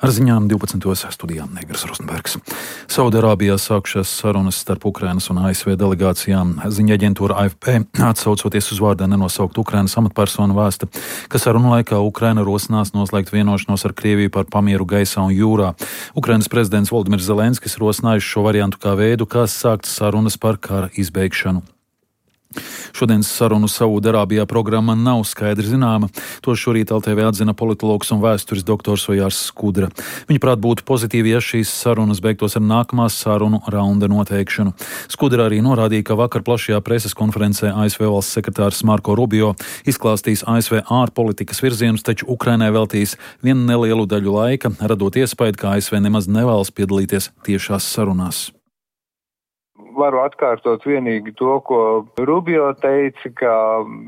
Ar ziņām 12. studijā Negras Rostenbergs. Saudarābijā sākušās sarunas starp Ukrainas un ASV delegācijām. Ziņa aģentūra AFP, atsaucoties uz vārdā nenosaukt Ukrainas amatpersonu, vēsta, ka sarunu laikā Ukraina rosinās noslēgt vienošanos ar Krieviju par pamieru gaisā un jūrā. Ukrainas prezidents Volodimirs Zelenskis rosinājuši šo variantu kā veidu, kā sākt sarunas par kara izbeigšanu. Šodienas sarunu Saudarābijā programma nav skaidri zināma. To šorīt LTV atzina politologs un vēstures doktors Ojārs Skudra. Viņaprāt, būtu pozitīvi, ja šīs sarunas beigtos ar nākamās sarunu raunda noteikšanu. Skudra arī norādīja, ka vakar plašajā preses konferencē ASV valsts sekretārs Marko Rubio izklāstīs ASV ārpolitikas virzienus, taču Ukrainai veltīs vienu nelielu daļu laika, radot iespēju, ka ASV nemaz nevēlas piedalīties tiešās sarunās. Varu atkārtot vienīgi to, ko Rubio teica, ka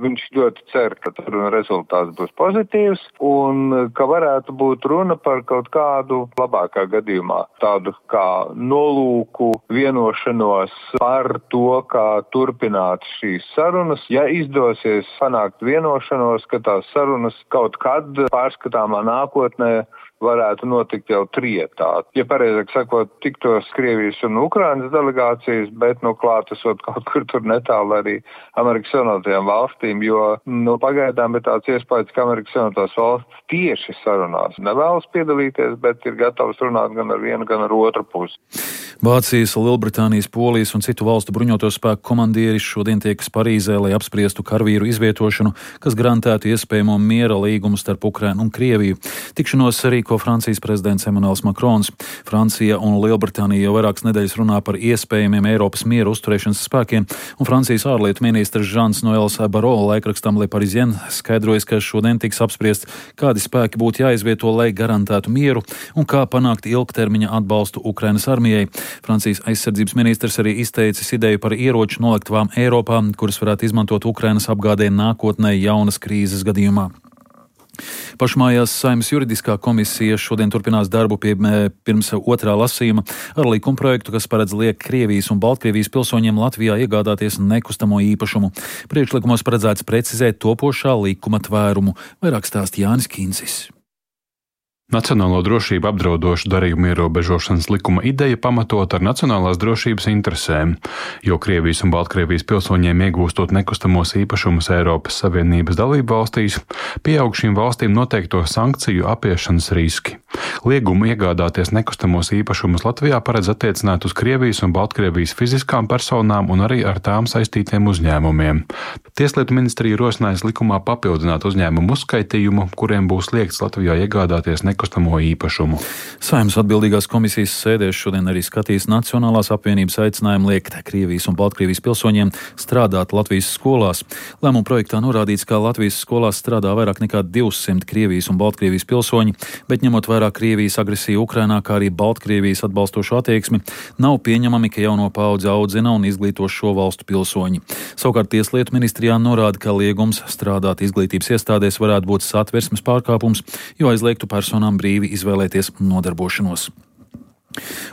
viņš ļoti cer, ka rezultāts būs pozitīvs un ka varētu būt runa par kaut kādu labākā gadījumā tādu kā nolūku vienošanos par to, kā turpināt šīs sarunas. Ja izdosies panākt vienošanos, ka tās sarunas kaut kad pārskatāmā nākotnē varētu notikt jau trietā. Ja pareizāk sakot, tiktos Krievijas un Ukrainas delegācijas, bet klātesot kaut kur tur netālu arī Amerikas Savienotajām valstīm, jo pagaidām ir tāds iespējas, ka Amerikas Savienotās valstis tieši sarunās nevēlas piedalīties, bet ir gatavs runāt gan ar vienu, gan ar otru pusi. Vācijas, Lielbritānijas, Polijas un citu valstu bruņoto spēku komandieri šodien tiekas Parīzē, lai apspriestu karavīru izvietošanu, kas garantētu iespējamo miera līgumu starp Ukrainu un Krieviju. Tikšanos rīko Francijas prezidents Emmanuels Macrons. Francija un Lielbritānija jau vairākas nedēļas runā par iespējamiem Eiropas miera uzturēšanas spēkiem, un Francijas ārlietu ministrs Žans Noels Barrot laikrakstam Le Parisien skaidrojas, ka šodien tiks apspriests, kādi spēki būtu jāizvieto, lai garantētu mieru, un kā panākt ilgtermiņa atbalstu Ukrainas armijai. Francijas aizsardzības ministrs arī izteicis ideju par ieroču noliktavām Eiropā, kuras varētu izmantot Ukrainas apgādē nākotnē jaunas krīzes gadījumā. Pašmājās Saeimas juridiskā komisija šodien turpinās darbu pirms otrā lasījuma ar likumprojektu, kas paredz liekt Krievijas un Baltkrievijas pilsoņiem Latvijā iegādāties nekustamo īpašumu. Priekšlikumos paredzēts precizēt topošā likuma tvērumu. Vairāk stāsta Jānis Kīncis. Nacionālo drošību apdraudošu darījumu ierobežošanas likuma ideja pamatot ar nacionālās drošības interesēm, jo Krievijas un Baltkrievijas pilsoņiem iegūstot nekustamos īpašumus Eiropas Savienības dalību valstīs, pieaug šīm valstīm noteikto sankciju apiešanas riski. Liegumu iegādāties nekustamos īpašumus Latvijā paredz attiecināt uz Krievijas un Baltkrievijas fiziskām personām un arī ar tām saistītiem uzņēmumiem. Tieslietu ministrija rosinājis likumā papildināt uzņēmumu uzskaitījumu, kuriem būs liegts Latvijā iegādāties nekustamo īpašumu. Saeimas atbildīgās komisijas sēdēs šodien arī skatīs Nacionālās apvienības aicinājumu liekt Krievijas un Baltkrievijas pilsoņiem strādāt Latvijas skolās. Lēmuma projektā norādīts, ka Latvijas skolās strādā vairāk nekā 200 Krievijas un Baltkrievijas pilsoņi, bet ņemot vērā Krievijas agresiju Ukrainā, kā arī Baltkrievijas atbalstošo attieksmi, nav pieņemami, ka jauno paudzi audzina un izglīto šo valstu pilsoņi. Savukārt Tieslietu ministrijā norāda, ka liegums strādāt izglītības iestādēs varētu būt satversmes pārkāpums, jo aizliegtu personām brīvi izvēlēties nodarbošanos.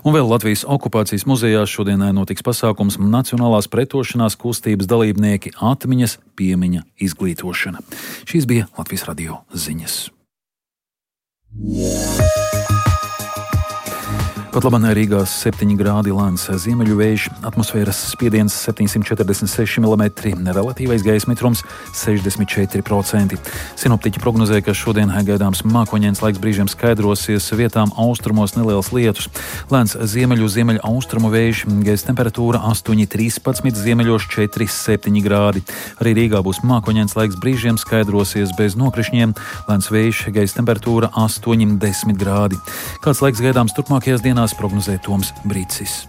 Un vēl Latvijas okupācijas muzejā šodien notiks pasākums Nacionālās pretošanās kustības dalībnieki atmiņas piemiņa izglītošana. Šīs bija Latvijas radio ziņas. Pat labāk Rīgā 7 grādi lēns ziemeļu vējš, atmosfēras spiediens 746 mm, relatīvais gaisa mitrums 64%. Sinoptiķi prognozē, ka šodien gaidāms mākoņains laiks, brīžiem skaidrosies, vietām austrumos neliels lietus. Lēns ziemeļu austrumu vējš, gaisa temperatūra 8,13, ziemeļos 4,7 grādi. Arī Rīgā būs mākoņains laiks, brīžiem skaidrosies bez nokrišņiem, lēns vējš, gaisa temperatūra 8,10 grādi. Kāds laiks gaidāms turpmākajās dienās, prognozē Toms Brīcis.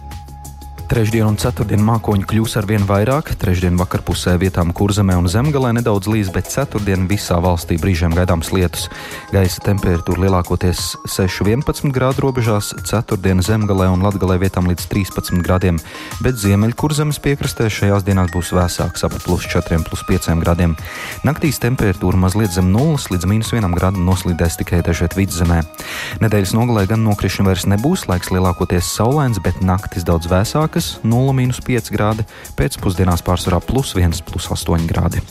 Trešdien un ceturtdien mākoņi kļūs arvien vairāk, trešdien vakarpusē vietām Kurzemē un Zemgalē nedaudz līs, bet ceturtdien visā valstī brīžiem gaidāms lietus. Gaisa temperatūra lielākoties 6-11 grādu robežās, ceturtdien Zemgalē un Latgalē vietām līdz 13 grādiem, bet ziemeļu Kurzemes piekrastē šajās dienās būs vēsāks ap +4–+5 grādiem. Naktīs temperatūra mazliet zem 0 līdz -1 grādu noslīdēs tikai dažviet vidzemē. Nedēļas nogalē gan nokrišņu vairs nebūs, laiks lielākoties saulains, bet naktis daudz vēsāk. 0–5 grādi, pēcpusdienās pārsvarā +1–+8 grādi.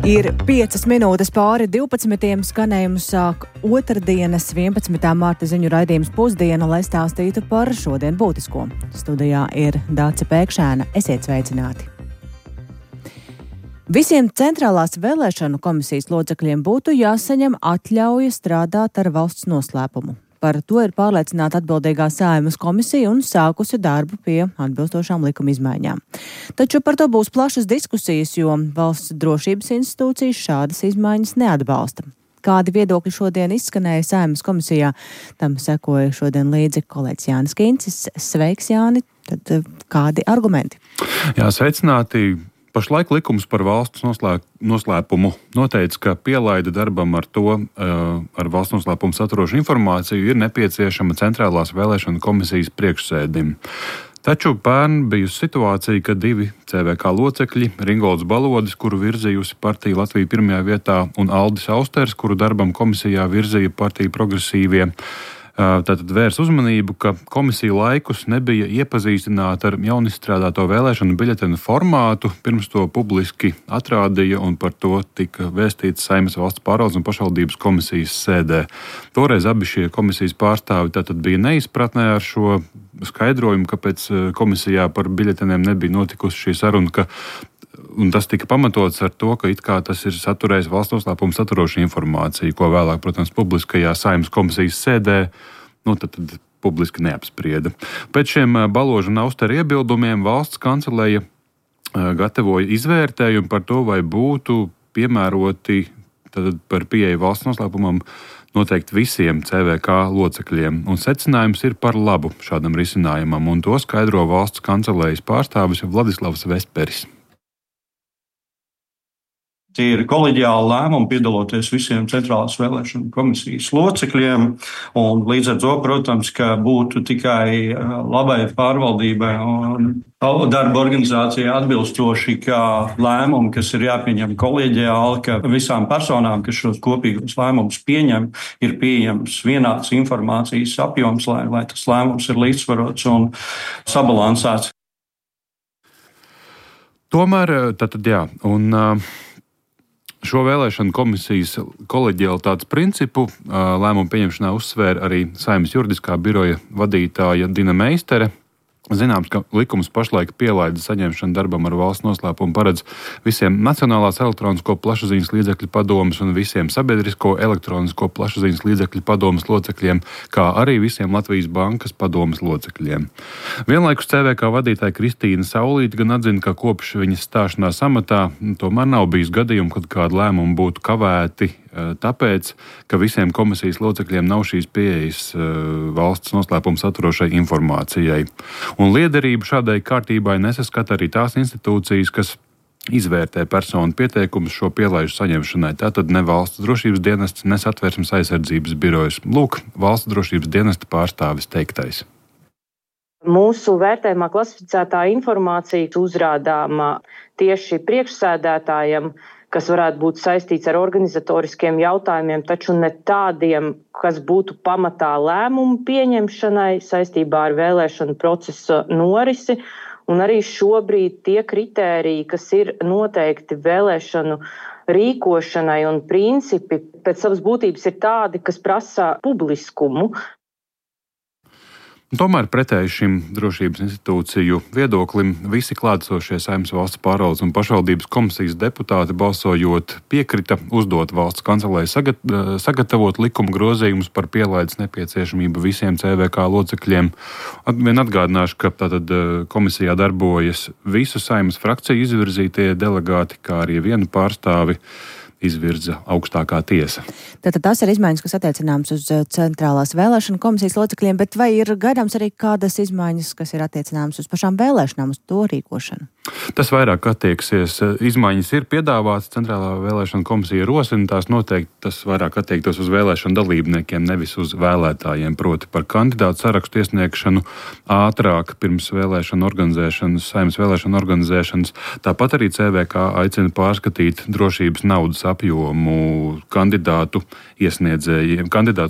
Ir 5 minūtes pāri 12. Skanējumu sāk otrdienas 11. Marta ziņu raidījums Pusdiena, lai stāstītu par šodien būtisko. Studijā ir Dāce Pēkšēna. Esiet sveicināti! Visiem centrālās vēlēšanu komisijas locekļiem būtu jāsaņem atļauja strādāt ar valsts noslēpumu. Par to ir pārliecināta atbildīgā Saeimas komisija un sākusi darbu pie atbilstošām likuma izmaiņām. Taču par to būs plašas diskusijas, jo valsts drošības institūcijas šādas izmaiņas neatbalsta. Kādi viedokļi šodien izskanēja Saeimas komisijā? Tam sekoja šodien līdzi kolēģis Jānis Kincis. Sveiks, Jāni! Tad kādi argumenti? Jā, sveicināti! Pašlaik likums par valsts noslēpumu noteica, ka pielaide darbam ar valsts noslēpumu saturošu informāciju ir nepieciešama centrālās vēlēšanu komisijas priekšsēdim. Taču pērn bijusi situācija, ka 2 CVK locekļi, Ringolds Balodis, kuru virzījusi partija Latvija pirmajā vietā, un Aldis Austers, kuru darbam komisijā virzīja partija Progresīvie, tātad vērs uzmanību, ka komisija laikus nebija iepazīstināta ar jaunizstrādāto vēlēšanu biļetenu formātu, pirms to publiski atrādīja, un par to tika vēstīts Saeimas valsts pārvaldes un pašvaldības komisijas sēdē. Toreiz abi šie komisijas pārstāvi tātad bija neizpratnē ar šo skaidrojumu, kāpēc komisijā par biļeteniem nebija notikusi šī saruna, un tas tika pamatots ar to, ka it kā tas ir saturējis valsts noslēpumu saturošu informāciju, ko vēlāk, protams, publiskajā Saeimas komisijas sēdē, tad publiski neapsprieda. Pēc šiem Baloža un Austera iebildumiem valsts kancelēja gatavoja izvērtējumu par to, vai būtu piemēroti par pieeju valsts noslēpumam noteikti visiem CVK locekļiem, un secinājums ir par labu šādam risinājumam, un to skaidro valsts kancelējas pārstāvis Vladislavs Vesperis. Tie ir koleģiāli lēmumi piedaloties visiem centrālās vēlēšanu komisijas locekļiem, un līdz ar to, protams, ka būtu tikai labai pārvaldībai un darba organizācijai atbilstoši, ka lēmumi, kas ir jāpieņem koleģiāli, ka visām personām, kas šos kopīgos lēmumus pieņem, ir pieejams vienāds informācijas apjoms, lai tas lēmums ir līdzsvarots un sabalansēts. Tomēr, šo vēlēšanu komisijas koleģialitātes principu lēmumu pieņemšanā uzsvēra arī Saeimas juridiskā biroja vadītāja Dina Meistere. Zināms, ka likums pašlaik pielaida saņemšanu darbam ar valsts noslēpumu paredz visiem Nacionālās elektronisko plašsaziņas līdzekļu padomes un visiem Sabiedrisko elektronisko plašsaziņas līdzekļu padomes locekļiem, kā arī visiem Latvijas bankas padomes locekļiem. Vienlaikus CVK vadītāja Kristīna Saulīte gan atzina, ka kopš viņas stāšanās amatā tomēr nav bijis gadījumu, kad kādu lēmumu būtu kavēti, tāpēc, ka visiem komisijas locekļiem nav šīs pieejas valsts noslēpuma saturošai informācijai. Un liederību šādai kārtībai nesaskata arī tās institūcijas, kas izvērtē personu pieteikumus šo pielaižu saņemšanai. Tātad ne valsts drošības dienests, ne Satversmes aizsardzības birojas. Lūk, valsts drošības dienesta pārstāvis teiktais. Mūsu vērtējumā klasificētā informācija uzrādāma tieši priekšsēdētājam, kas varētu būt saistīts ar organizatoriskiem jautājumiem, taču ne tādiem, kas būtu pamatā lēmumu pieņemšanai saistībā ar vēlēšanu procesa norisi. Un arī šobrīd tie kritēriji, kas ir noteikti vēlēšanu rīkošanai un principi, pēc savas būtības ir tādi, kas prasa publiskumu. Tomēr pretēji šim drošības institūciju viedoklim visi klātesošie Saeimas valsts pārvaldes un pašvaldības komisijas deputāti balsojot piekrita uzdot valsts kancelei sagatavot likuma grozījumus par pielaides nepieciešamību visiem CVK locekļiem. Vien atgādināšu, ka tātad komisijā darbojas visu Saeimas frakciju izvirzītie delegāti, kā arī vienu pārstāvi izvirza augstākā tiesa. Tātad tās ir izmaiņas, kas attiecināmas uz centrālās vēlēšanu komisijas locekļiem, bet vai ir gaidāms arī kādas izmaiņas, kas ir attiecināmas uz pašām vēlēšanām, uz to rīkošanu? Tas vairāk attieksies. Izmaiņas ir piedāvātas, centrālā vēlēšana komisija rosina tās noteikti, tas vairāk attiektos uz vēlēšanu dalībniekiem, nevis uz vēlētājiem, proti par kandidātu sarakstu iesniegšanu ātrāk pirms vēlēšanu organizēšanas, Saeimas vēlēšanu organizēšanas. Tāpat arī CVK aicina pārskatīt drošības naudas apjomu kandidātu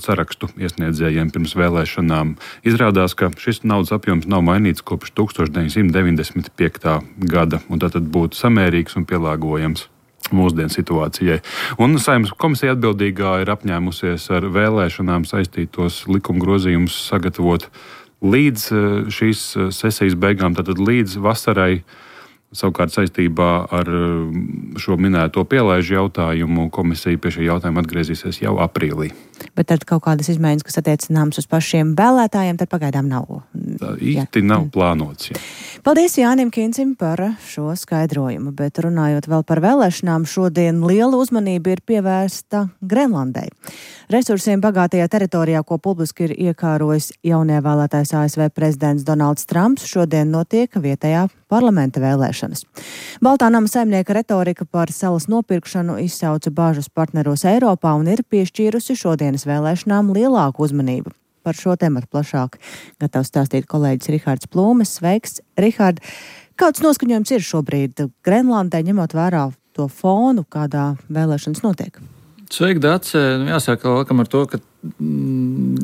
sarakstu iesniedzējiem pirms vēlēšanām. Izrādās, ka šis naudas apjoms nav mainīts kopš 1995. gada, un tātad būtu samērīgs un pielāgojams. mūsdienu situācijai. Un Saeimas komisija atbildīgā ir apņēmusies ar vēlēšanām saistītos likuma grozījumus sagatavot līdz šīs sesijas beigām, tātad līdz vasarai. Savukārt saistībā ar šo minēto pielaižu jautājumu komisija pie šī jautājuma atgriezīsies jau aprīlī. Bet tad kaut kādas izmaiņas, kas attiecināmas uz pašiem vēlētājiem, tad pagaidām nav. Tā īsti nav plānots. Jā. Paldies Jānim Kincim par šo skaidrojumu, bet runājot vēl par vēlēšanām, šodien liela uzmanība ir pievērsta Grenlandai. Resursiem bagātajā teritorijā, ko publiski ir iekārojis jaunievēlētais ASV prezidents Donalds Trumps, šodien notiek vietējā parlamenta vēlēšanas. Baltā nama saimnieka retorika par salas nopirkšanu izsauca bāžas partneros Eiropā un ir piešķīrusi šodienas vēlēšanām lielāku uzmanību. Par šo tematu plašāk gatavs stāstīt kolēģis Rihards Plūmes. Sveiks, Rihard! Kāds noskaņojums ir šobrīd Grenlandē, ņemot vērā to fonu, kādā vēlēšanas notiek? Sveiki, Dace! Jāsaka, laikam ar to, ka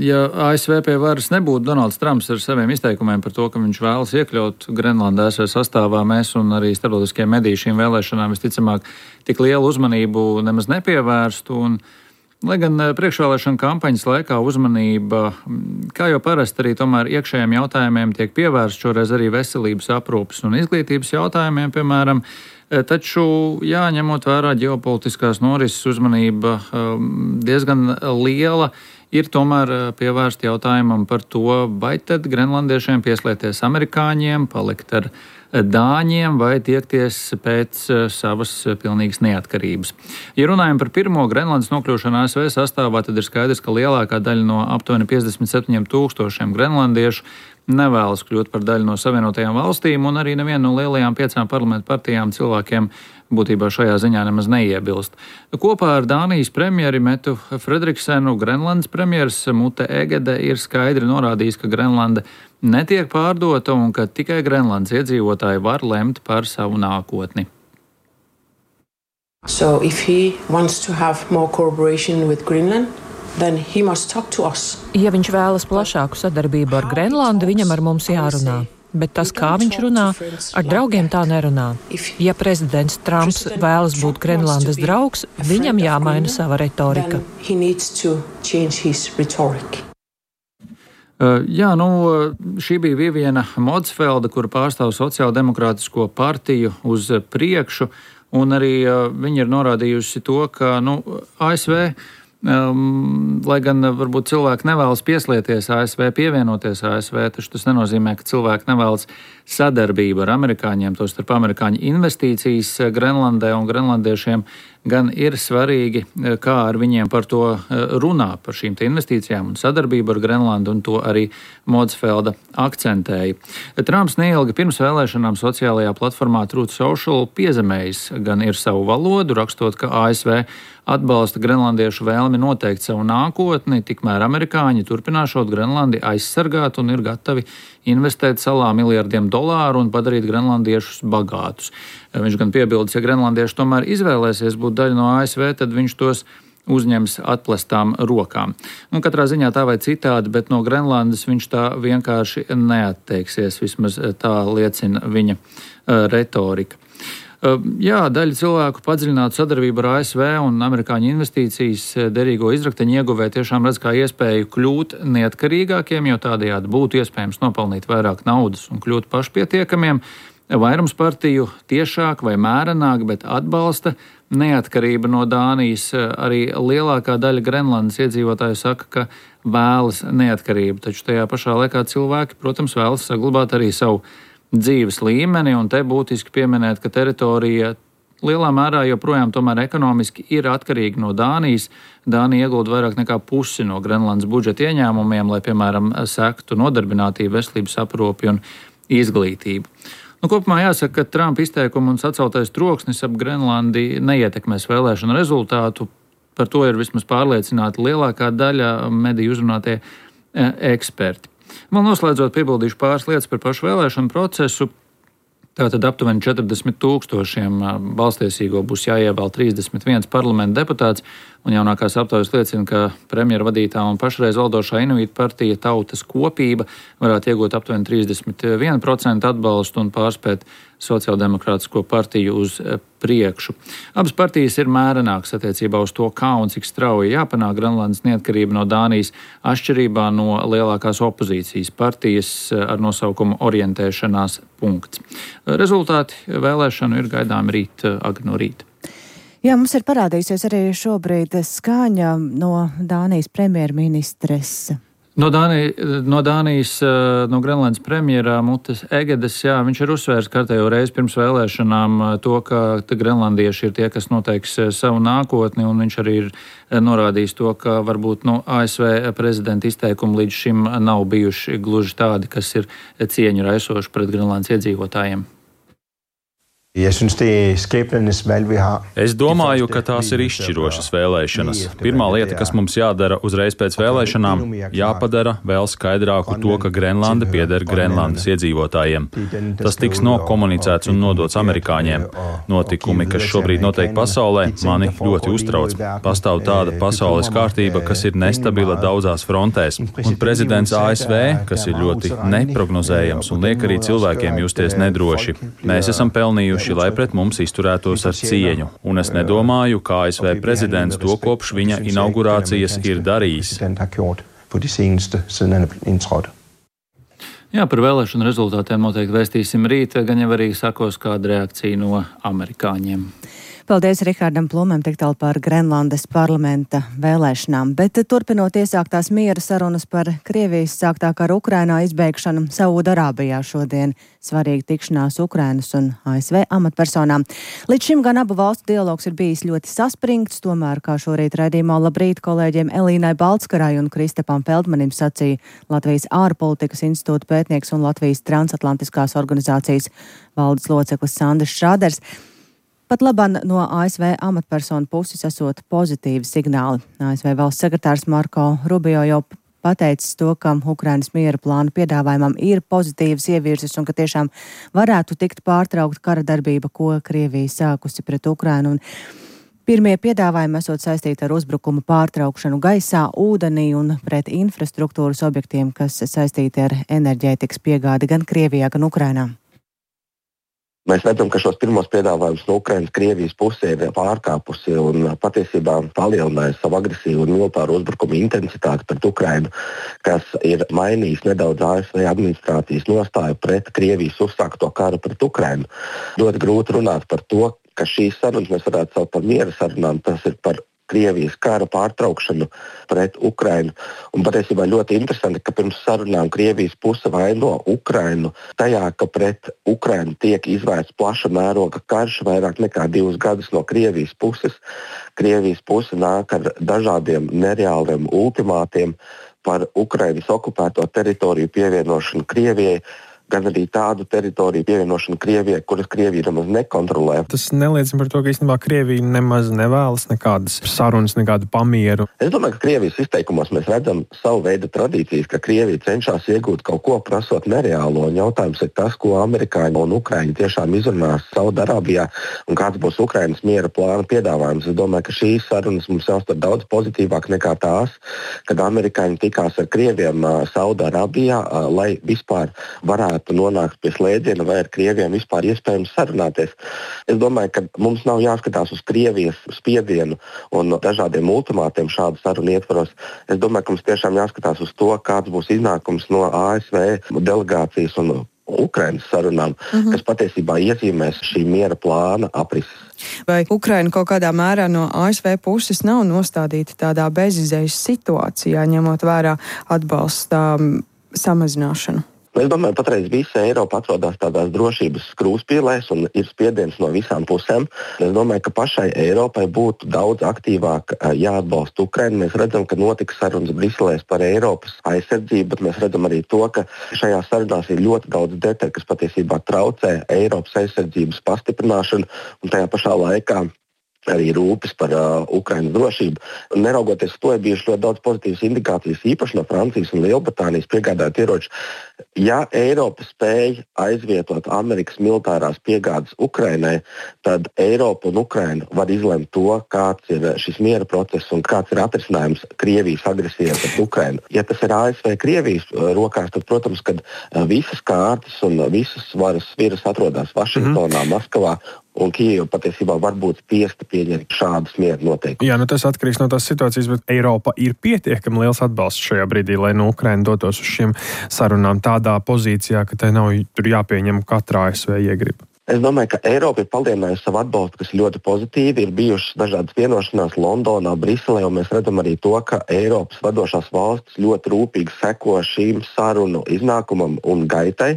ja ASV pie varas nebūtu Donalds Trumps ar saviem izteikumiem par to, ka viņš vēlas iekļaut Grenlandu ASV sastāvā, mēs un arī starptautiskie mediji šīm vēlēšanām visticamāk tik lielu uzmanību nemaz nepievērstu. Lai gan priekšvēlēšana kampaņas laikā uzmanība, kā jau parasti arī tomēr iekšējiem jautājumiem tiek pievērsta, šoreiz arī veselības aprūpes un izglītības jautājumiem, piemēram, taču, ņemot vērā ģeopolitiskās norises uzmanība diezgan liela, ir tomēr pievērsta jautājumam par to, vai tad grenlandiešiem pieslēties amerikāņiem, palikt ar dāņiem vai tiekties pēc savas pilnīgas neatkarības. Ja runājam par pirmo Grenlandes nokļūšanu ASV sastāvā, tad ir skaidrs, ka lielākā daļa no aptuveni 57,000 grenlandiešu nevēlas kļūt par daļu no Savienotajām valstīm, un arī neviena no lielajām 5 parlamentu partijām cilvēkiem būtībā šajā ziņā nemaz neiebilst. Kopā ar Dānijas premjeri Metu Fredriksenu Grenlandes premjeras Mute Egede ir skaidri norādījis, ka Grenlanda netiek pārdota un ka tikai Grenlandes iedzīvotāji var lemt par savu nākotni. So if he wants to have more cooperation with Greenland, then he must talk to us. Ja viņš vēlas plašāku sadarbību ar Grenlandu, viņam ar mums jārunā. Bet tas, kā viņš runā, ar draugiem tā nerunā. Ja prezidents Trumps vēlas būt Grenlandes draugs, viņam jāmaina sava retorika. Šī bija Viviena Modsfelda, kura pārstāv sociāldemokrātisko partiju uz priekšu, un arī viņa ir norādījusi to, ka ASV, lai gan varbūt cilvēki nevēlas pieslieties ASV, pievienoties ASV, taču tas nenozīmē, ka cilvēki nevēlas sadarbību ar amerikāņiem, tostarp amerikāņu investīcijas Grenlandē, un grenlandiešiem gan ir svarīgi, kā ar viņiem par to runā, par šīm te investīcijām un sadarbību ar Grenlandu, un to arī Modsfelda akcentēja. Trumps neilgi pirms vēlēšanām sociālajā platformā Truth Social piezemējis gan ir savu valodu, rakstot, ka ASV atbalsta grenlandiešu vēlmi noteikt savu nākotni, tikmēr amerikāņi turpināšot Grenlandi aizsargāt un ir gatavi investēt salā miljardiem dolāru un padarīt grenlandiešus bagātus. Viņš gan piebildis, ja grenlandieši tomēr izvēlēsies būt daļa no ASV, tad viņš tos uzņems atplestām rokām. Katrā ziņā tā vai citādi, bet no Grenlandes viņš tā vienkārši neatteiksies, vismaz tā liecina viņa retorika. Daļa cilvēku padziļinātu sadarbību ar ASV un amerikāņu investīcijas derīgo izrakteņu ieguvē tiešām redz kā iespēju kļūt neatkarīgākiem, jo tādējādi būtu iespējams nopelnīt vairāk naudas un kļūt pašpietiekamiem. Vairums partiju tiešāk vai mērenāk, bet atbalsta neatkarību no Dānijas. Arī lielākā daļa Grenlandes iedzīvotāju saka, ka vēlas neatkarību, taču tajā pašā laikā cilvēki, protams, vēlas saglabāt arī savu dzīves līmeni, un te būtiski pieminēt, ka teritorija lielā mērā joprojām tomēr ekonomiski ir atkarīga no Dānijas. Dānija iegulda vairāk nekā pusi no Grenlandes budžeta ieņēmumiem, lai, piemēram, sektu nodarbinātību, veselības aprūpi un izglītību. Kopumā jāsaka, ka Trumpa izteikumu un saceltais troksnis ap Grenlandi neietekmēs vēlēšanu rezultātu. Par to ir vismaz pārliecināta lielākā daļa mediju uzrunātie eksperti. Vēl noslēdzot, piebildīšu pāris lietas par pašu vēlēšanu procesu. Tātad aptuveni 40,000 balstiesīgo būs jāievēl 31 parlamenta deputāts, Un jaunākās aptaujas liecina, ka premjera vadītā un pašreiz valdošā Inuit partija Tautas kopība varētu iegūt aptuveni 31% atbalstu un pārspēt Sociāldemokrātisko partiju uz priekšu. Abas partijas ir mērenākas attiecībā uz to, kā un cik strauji jāpanāk Grenlandes neatkarība no Dānijas, atšķirībā no lielākās opozīcijas partijas ar nosaukumu Orientēšanās punkts. Rezultāti vēlēšanu ir gaidām rīt agri no rīta. Jā, mums ir parādījusies arī šobrīd skaņa no Dānijas premjerministres. No Dānijas, no Grenlandes premjera Mutes Egedes, jā, viņš ir uzsvērs kārtējo reizi pirms vēlēšanām to, ka grenlandieši ir tie, kas noteiks savu nākotni, un viņš arī ir norādījis to, ka varbūt ASV prezidenta izteikumi līdz šim nav bijuši gluži tādi, kas ir cieņu raisoši pret Grenlandes iedzīvotājiem. Es domāju, ka tās ir izšķirošas vēlēšanas. Pirmā lieta, kas mums jādara uzreiz pēc vēlēšanām, jāpadara vēl skaidrāku to, ka Grenlanda pieder Grenlandes iedzīvotājiem. Tas tiks nokomunicēts un nodots amerikāņiem. Notikumi, kas šobrīd notiek pasaulē, mani ļoti uztrauc. Pastāv tāda pasaules kārtība, kas ir nestabila daudzās frontēs. Un prezidents ASV, kas ir ļoti neprognozējams un liek arī cilvēkiem justies nedroši. Mēs esam pelnījuši, lai pret mums izturētos ar cieņu, un es nedomāju, kā ASV prezidents to kopš viņa inaugurācijas ir darījis. Jā, par vēlēšanu rezultātiem noteikti vēstīsim rīt, gan jau arī sakos kāda reakcija no amerikāņiem. Paldies Rihardam Plumam tik tālu par Grenlandes parlamenta vēlēšanām, bet turpinot iesāktās miera sarunas par Krievijas sāktā kara Ukrainā izbeigšanu Saudarābijā šodien svarīga tikšanās Ukrainas un ASV amatpersonām. Līdz šim gan abu valstu dialogs ir bijis ļoti saspringts, tomēr, kā šorīt raidījumā Labrīt kolēģiem Elīnai Baltskarai un Kristapam Feldmanim sacīja Latvijas ārpolitikas institūta pētnieks un Latvijas transatlantiskās organizācijas valdes loceklis Sandrs Šrāders. Pat labam no ASV amatpersonu puses esot pozitīvi signāli. ASV valsts sekretārs Marko Rubio jau pateicis to, ka Ukrainas miera plānu piedāvājumam ir pozitīvas ievirzes un ka tiešām varētu tikt pārtraukt kara darbība, ko Krievija sākusi pret Ukrainu. Un pirmie piedāvājumi esot saistīti ar uzbrukumu pārtraukšanu gaisā, ūdenī un pret infrastruktūras objektiem, kas saistīti ar enerģētikas piegādi gan Krievijā, gan Ukrainā. Mēs redzam, ka šos pirmos piedāvājumus no Ukrainas Krievijas pusē ir pārkāpusi un patiesībā palielinājusi savu agresīvu un militāru uzbrukumu intensitāti pret Ukrainu, kas ir mainījis nedaudz ASV administrācijas nostāju pret Krievijas uzsākto karu pret Ukrainu. Ļoti grūti runāt par to, ka šīs sarunas mēs varētu saukt par miera sarunām, tas ir par Krievijas kara pārtraukšanu pret Ukrainu. Un patiesībā ļoti interesanti, ka pirms sarunām Krievijas puse vaino Ukrainu tajā, ka pret Ukrainu tiek izvērsts plaša mēroga karš vairāk nekā 2 gadus no Krievijas puses. Krievijas puse nāk ar dažādiem nereāliem ultimātiem par Ukrainas okupēto teritoriju pievienošanu Krievijai, gan arī tādu teritoriju pievienošanu Krievijai, kuras Krievija nemaz nekontrolē. Tas neliecina par to, ka īstenībā Krievija nemaz nevēlas nekādas sarunas, nekādu pamieru. Es domāju, ka Krievijas izteikumos mēs redzam savu veidu tradīcijas, ka Krievija cenšas iegūt kaut ko prasot nereālo. Un jautājums ir tas, ko amerikāņi un ukraiņi tiešām izrunās Saudarābijā un kāds būs Ukrainas miera plāna piedāvājums. Es domāju, ka šīs sarunas mums jāuztver daudz pozitīvāk nekā tās, kad amerikāņi tikās ar Krieviem Saudarābijā, lai vispār varētu nonākt pie slēdziena, vai ar Krieviem vispār iespējams sarunāties. Es domāju, ka mums nav jāskatās uz Krievijas spiedienu un dažādiem ultimātiem šādu sarunu ietvaros. Es domāju, ka mums tiešām jāskatās uz to, kāds būs iznākums no ASV delegācijas un Ukrainas sarunām, kas patiesībā iezīmēs šī miera plāna aprises. Vai Ukraina kaut kādā mērā no ASV puses nav nostādīta tādā bezizējas situācijā, ņemot vērā atbalsta samazināšanu? Es domāju, patreiz visa Eiropa atrodas tādās drošības krūzpīlēs un ir spiediens no visām pusēm. Es domāju, ka pašai Eiropai būtu daudz aktīvāk jāatbalsta Ukraina. Mēs redzam, ka notiks sarunas Briselēs par Eiropas aizsardzību, bet mēs redzam arī to, ka šajās sarunās ir ļoti daudz detaļu, kas patiesībā traucē Eiropas aizsardzības pastiprināšanu un tajā pašā laikā arī rūpes par Ukrainas drošību. Un neraugoties to, ir bijuši ļoti daudz pozitīvas indikācijas, īpaši no Francijas un Lielbritānijas piegādāt ieroči. Ja Eiropa spēj aizvietot Amerikas militārās piegādes Ukrainai, tad Eiropa un Ukraina var izlemt to, kāds ir šis miera process un kāds ir atrisinājums Krievijas agresijai pret Ukrainu. Ja tas ir ASV Krievijas rokās, tad, protams, kad visas kārtas un visas varas viras atrodas Vašingtonā, Maskavā, un Kijeva patiesībā var būt spiesta pieņemt šādus mieru noteikumus. Jā, tas atkarīgs no tās situācijas, bet Eiropa ir pietiekami liels atbalsts šajā brīdī, lai Ukraina dotos uz šiem sarunām tādā pozīcijā, ka tai nav tur jāpieņem katrā ASV iegriba. Es domāju, ka Eiropa ir palielinājusi savu atbalstu, kas ir ļoti pozitīvi. Ir bijušas dažādas vienošanās Londonā, Briselē, un mēs redzam arī to, ka Eiropas vadošās valstis ļoti rūpīgi seko šīm sarunu iznākumam un gaitai.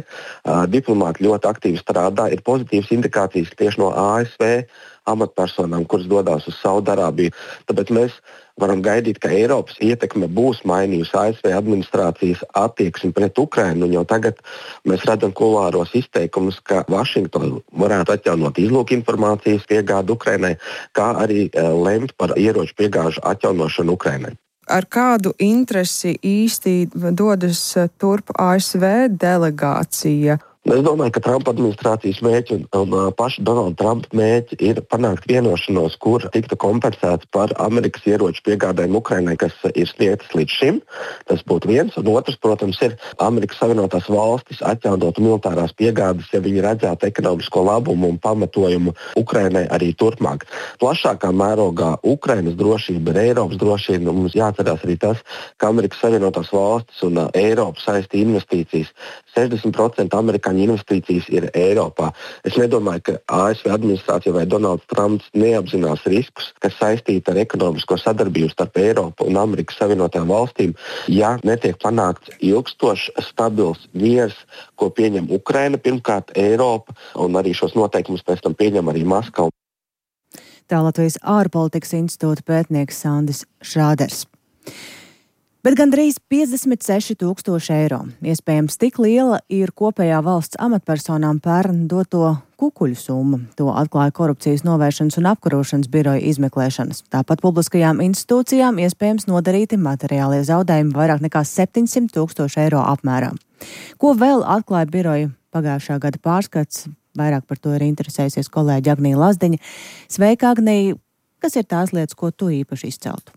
Diplomāti ļoti aktīvi strādā. Ir pozitīvas indikācijas tieši no ASV amatpersonām, kuras dodas uz Saudarābiju. Tāpēc mēs varam gaidīt, ka Eiropas ietekme būs mainījusi ASV administrācijas attieksmi pret Ukrainu. Jau tagad mēs redzam kulāros izteikumus, ka Vašingtona varētu atjaunot izlūku informācijas piegādi Ukrainai, kā arī lemt par ieroču piegāžu atjaunošanu Ukrainai. Ar kādu interesi īsti dodas turp ASV delegācija? Es domāju, ka Trumpa administrācijas mērķi un paša Donalda Trumpa mērķi ir panākt vienošanos, kur tiktu kompensēts par Amerikas ieroču piegādēm Ukrainai, kas ir sniegtas līdz šim. Tas būtu viens. Un otrs, protams, ir Amerikas Savienotās valstis atjaunot militārās piegādes, ja viņi redzētu ekonomisko labumu un pamatojumu Ukrainai arī turpmāk. Plašākā mērogā Ukrainas drošība ir Eiropas drošība. Mums jāatcerās arī tas, ka Amerikas Savienotās valstis un Eiropa saista investīcijas. 60% amerikāņu investīcijas ir Eiropā. Es nedomāju, ka ASV administrācija vai Donalds Trumps neapzinās riskus, kas saistīti ar ekonomisko sadarbību starp Eiropu un Amerikas Savienotajām valstīm, ja netiek panākts ilgstošs, stabils miers, ko pieņem Ukraina, pirmkārt Eiropa, un arī šos noteikumus pēc tam pieņem arī Maskava. Tā Latvijas ārpolitikas institūta pētnieks Sandis Šrāders. Bet gandrīz 56,000 eiro. Iespējams, tik liela ir kopējā valsts amatpersonām pērn doto kukuļu summa. To atklāja Korupcijas novēršanas un apkarošanas biroja izmeklēšanas. Tāpat publiskajām institūcijām iespējams nodarīti materiālie zaudējumi vairāk nekā 700,000 eiro apmērā. Ko vēl atklāja biroja pagājušā gada pārskats? Vairāk par to ir interesējusies kolēģi Agnija Lazdiņa. Sveika, Agnija! Kas ir tās lietas, ko tu īpaši izceltu?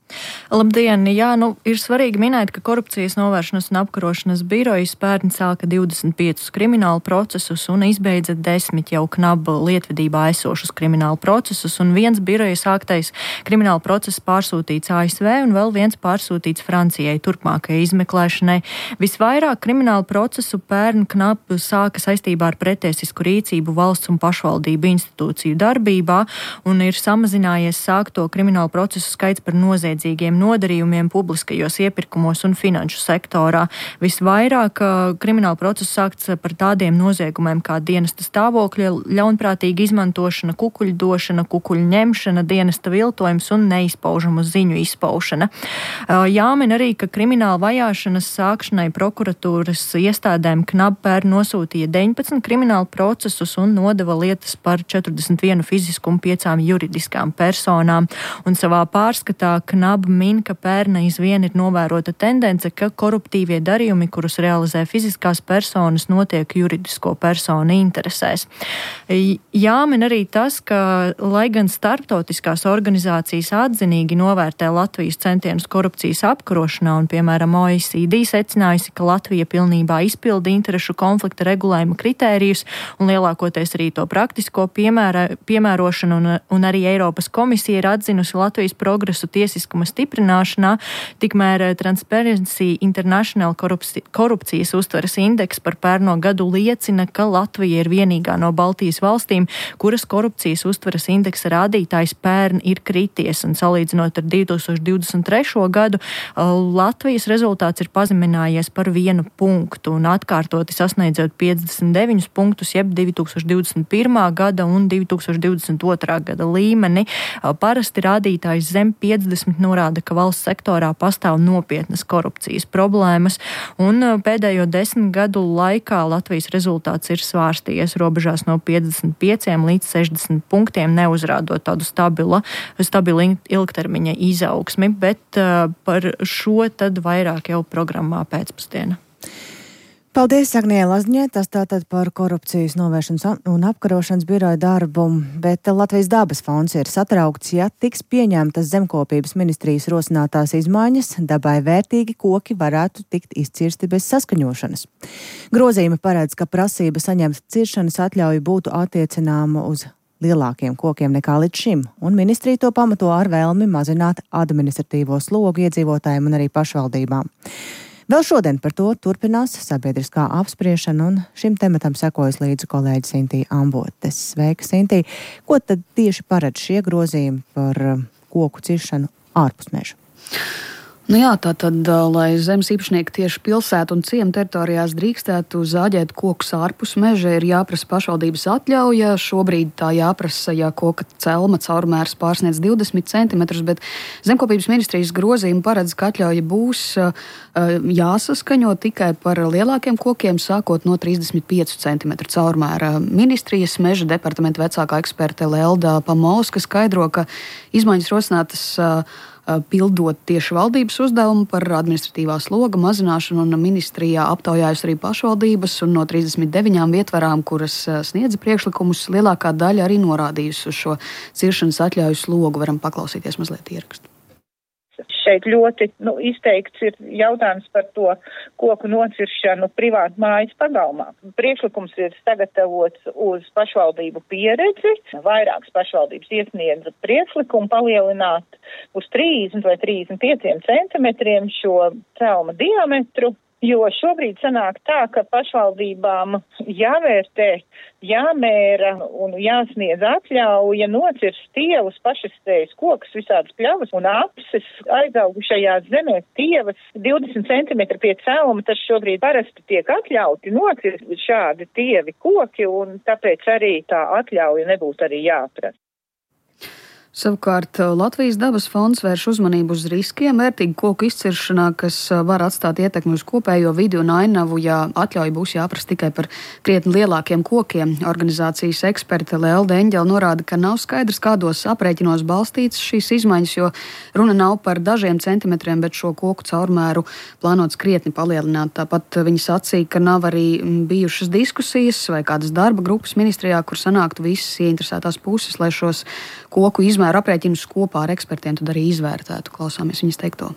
Labdien! Jā, ir svarīgi minēt, ka Korupcijas novēršanas un apkarošanas birojas pērn sāka 25 kriminālu procesus un izbeidza 10 jau KNAB lietvedībā esošus kriminālu procesus, un viens biroja sāktais kriminālu process pārsūtīts ASV un vēl viens pārsūtīts Francijai turpmākajai izmeklēšanai. Visvairāk kriminālu procesu pērn KNAB sāka saistībā ar pretiesisku rīcību valsts un pašvaldību institūciju darbībā un ir samazinājies sākto kriminālu procesu skaits par noziedzīgiem nodarījumiem publiskajos iepirkumos un finanšu sektorā. Visvairāk kriminālu procesu sākts par tādiem noziegumiem kā dienesta stāvokļa ļaunprātīga izmantošana, kukuļu došana, kukuļu ņemšana, dienesta viltojums un neizpaužamu ziņu izpaušana. Jāmin arī, ka krimināla vajāšanas sākšanai prokuratūras iestādēm KNAB pērn nosūtīja 19 kriminālu procesus un nodeva lietas par 41 fizisku un 5 juridiskām personām. Un savā pārskatā KNAB min, ka pērn aizvien ir novērota tendence, ka koruptīvie darījumi, kurus realizē fiziskās personas, notiek juridisko personu interesēs. Jāmin arī tas, ka, lai gan starptautiskās organizācijas atzinīgi novērtē Latvijas centienus korupcijas apkarošanā un, piemēram, OECD secinājusi, ka Latvija pilnībā izpilda interešu konflikta regulējuma kritērijus un lielākoties arī to praktisko piemērošanu un arī Eiropas komisija ir atzinusi Latvijas progresu tiesiskuma stiprināšanā, tikmēr Transparency International korupcijas uztveres indeks par pērno gadu liecina, ka Latvija ir vienīgā no Baltijas valstīm, kuras korupcijas uztveres indeksa rādītājs pērn ir krities, un salīdzinot ar 2023. gadu, Latvijas rezultāts ir pazeminājies par 1 punktu un atkārtoti sasniedzot 59 punktus, jeb 2021. gada un 2022. gada līmeni. parasti rādītājs zem 50 norāda, ka valsts sektorā pastāv nopietnas korupcijas problēmas, un pēdējo 10 gadu laikā Latvijas rezultāts ir svārstījies robežās no 55 līdz 60 punktiem, neuzrādot tādu stabilu ilgtermiņa izaugsmi, bet par šo tad vairāk jau programmā pēcpusdiena. Paldies, Agnijai Lazdiņai, tas tātad par korupcijas novēršanas un apkarošanas biroja darbu, bet Latvijas dabas fonds ir satraukts, ja tiks pieņemtas zemkopības ministrijas rosinātās izmaiņas, dabai vērtīgi koki varētu tikt izcirsti bez saskaņošanas. Grozījumi paredz, ka prasība saņemt ciršanas atļauju būtu attiecināma uz lielākiem kokiem nekā līdz šim, un ministrija to pamato ar vēlmi mazināt administratīvo slogu iedzīvotājiem un arī pašvaldībām. Vēl šodien par to turpinās sabiedriskā apspriešana, un šim tematam sekojas līdzi kolēģi Sintija Ambotes. Sveika, Sintija! Ko tad tieši paredz šie grozījumi par koku ciršanu ārpus meža? Nu jā, tātad, lai zemes īpašnieki tieši pilsētu un ciemu teritorijās drīkstētu zāģēt kokus ārpus meža, ir jāprasa pašvaldības atļauja. Šobrīd tā jāprasa, ja koka celma caurmērs pārsniedz 20 cm, bet zemkopības ministrijas grozījumi paredz, ka atļauja būs jāsaskaņo tikai par lielākiem kokiem, sākot no 35 cm caurmēra. Ministrijas meža departamenta vecākā eksperte Lelda Pamovska skaidro, ka izmaiņas rosinātas pildot tieši valdības uzdevumu par administratīvā sloga mazināšanu, un ministrijā aptaujājas arī pašvaldības, un no 39 vietvarām, kuras sniedza priekšlikumus, lielākā daļa arī norādījusi uz šo ciršanas atļauju slogu. Varam paklausīties mazliet ierakstu. Šeit ļoti izteikts ir jautājums par to koku nociršanu privātu mājas pagalmā. Priekšlikums ir sagatavots uz pašvaldību pieredzi. Vairākas pašvaldības iesniedza priekšlikumu palielināt uz 30 vai 35 centimetriem šo celma diametru. Jo šobrīd sanāk tā, ka pašvaldībām jāvērtē, jāmēra un jāsniedz atļauja nocirst stievus, pašastējas kokus, visādas pļavas un apses aizaugušajās zemēs stievas 20 cm pie celma. Tas šobrīd parasti tiek atļauti nocirst šādi tievi koki, un tāpēc arī tā atļauja nebūtu arī jāprasa. Savukārt Latvijas dabas fonds vērš uzmanību uz riskiem vērtīgu koku izciršanā, kas var atstāt ietekmi uz kopējo vidi un ainavu, ja atļauja būs jāprasa tikai par krietni lielākiem kokiem. Organizācijas eksperte Lelda Eņģele norāda, ka nav skaidrs, kādos aprēķinos balstītas šīs izmaiņas, jo runa nav par dažiem centimetriem, bet šo koku caurmēru plānots krietni palielināt. Tāpat viņa sacīja, ka nav arī bijušas diskusijas vai kādas darba grupas ministrijā, kur sanāktu visas ieinteresētās puses, lai šos koku izmēru aprēķinus kopā ar ekspertiem tad arī izvērtētu. Klausāmies viņas teikto.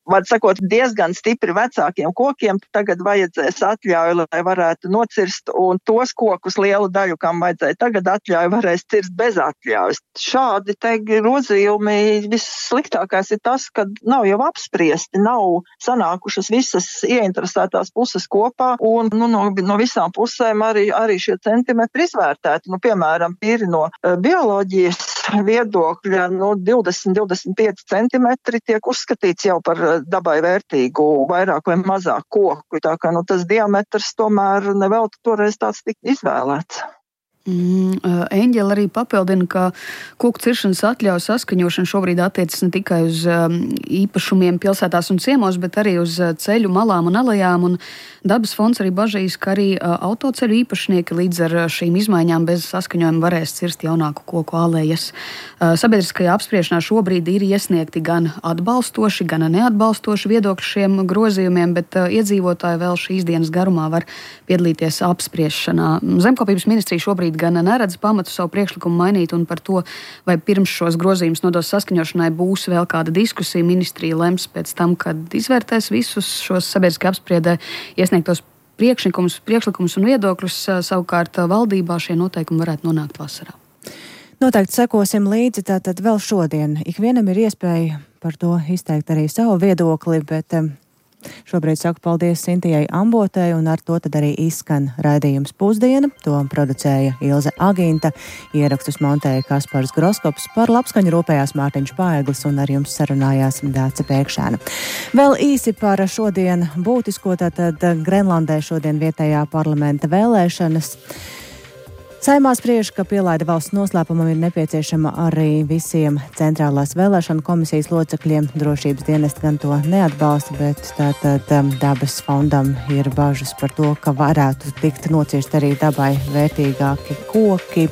Var sakot, diezgan stipri vecākiem kokiem tagad vajadzēs atļauju, lai varētu nocirst, un tos kokus lielu daļu, kam vajadzēja tagad atļauju, varēs cirst bez atļaujas. Šādi te grozījumi vissliktākais ir tas, ka nav jau apspriesti, nav sanākušas visas ieinteresētās puses kopā, un no visām pusēm arī šie centimetri izvērtēti. Piemēram, tīri no bioloģijas viedokļa 20-25 centimetri tiek uzskatīts jau par dabai vērtīgu vairāk vai mazāk koku. Tā kā tas diametrs tomēr nevelti toreiz tāds tika izvēlēts. Eņģele arī papildina, ka koku ciršanas atļauju saskaņošana šobrīd attiecas ne tikai uz īpašumiem pilsētās un ciemos, bet arī uz ceļu malām un alejām. Un dabas fonds arī bažīs, ka arī autoceļu īpašnieki līdz ar šīm izmaiņām bez saskaņojuma varēs cirst jaunāku koku alejas. Sabiedriskajā apspriešanā šobrīd ir iesniegti gan atbalstoši, gan neatbalstoši viedokļi šiem grozījumiem, bet iedzīvotāji vēl šīs dienas garumā var piedalīties apspriešanā. Zemkopības ministrija šobrīd gan neredz pamatu savu priekšlikumu mainīt, un par to, vai pirms šos grozījumus nodos saskaņošanai būs vēl kāda diskusija, ministrija lems pēc tam, kad izvērtēs visus šos sabiedriskajā apspriedē iesniegtos priekšlikumus un viedokļus. Savukārt valdībā šie noteikumi varētu nonākt vasarā. Noteikti sekosim līdzi, tātad vēl šodien. Ikvienam ir iespēja par to izteikt arī savu viedokli, bet šobrīd saku paldies Sintijai Ambotei, un ar to tad arī izskan raidījums Pusdiena. To producēja Ilze Agīnta, ierakstus montēja Kaspars Groskops, par labskaņu rūpējās Mārtiņš Paeglis un ar jums sarunājās Dāce Pēkšēna. Vēl īsi par šodien būtisko, tātad Grenlandē šodien vietējā parlamenta vēlēšanas. Saeimā spriež, ka pielaide valsts noslēpumam ir nepieciešama arī visiem centrālās vēlēšanu komisijas locekļiem. Drošības dienesti gan to neatbalsta, bet tātad dabas fondam ir bažas par to, ka varētu tikt nocirst arī dabai vērtīgāki koki.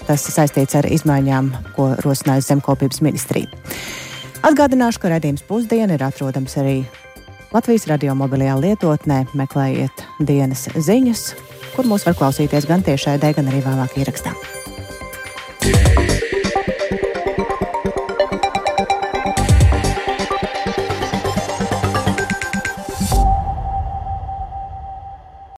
Tas saistīts ar izmaiņām, ko rosinājusi Zemkopības ministrija. Atgādināšu, ka raidījums Pusdiena ir atrodams arī Latvijas radio mobilajā lietotnē. Meklējiet dienas ziņas, kur mūs var klausīties gan tiešraidē, gan arī vēlāk ierakstā.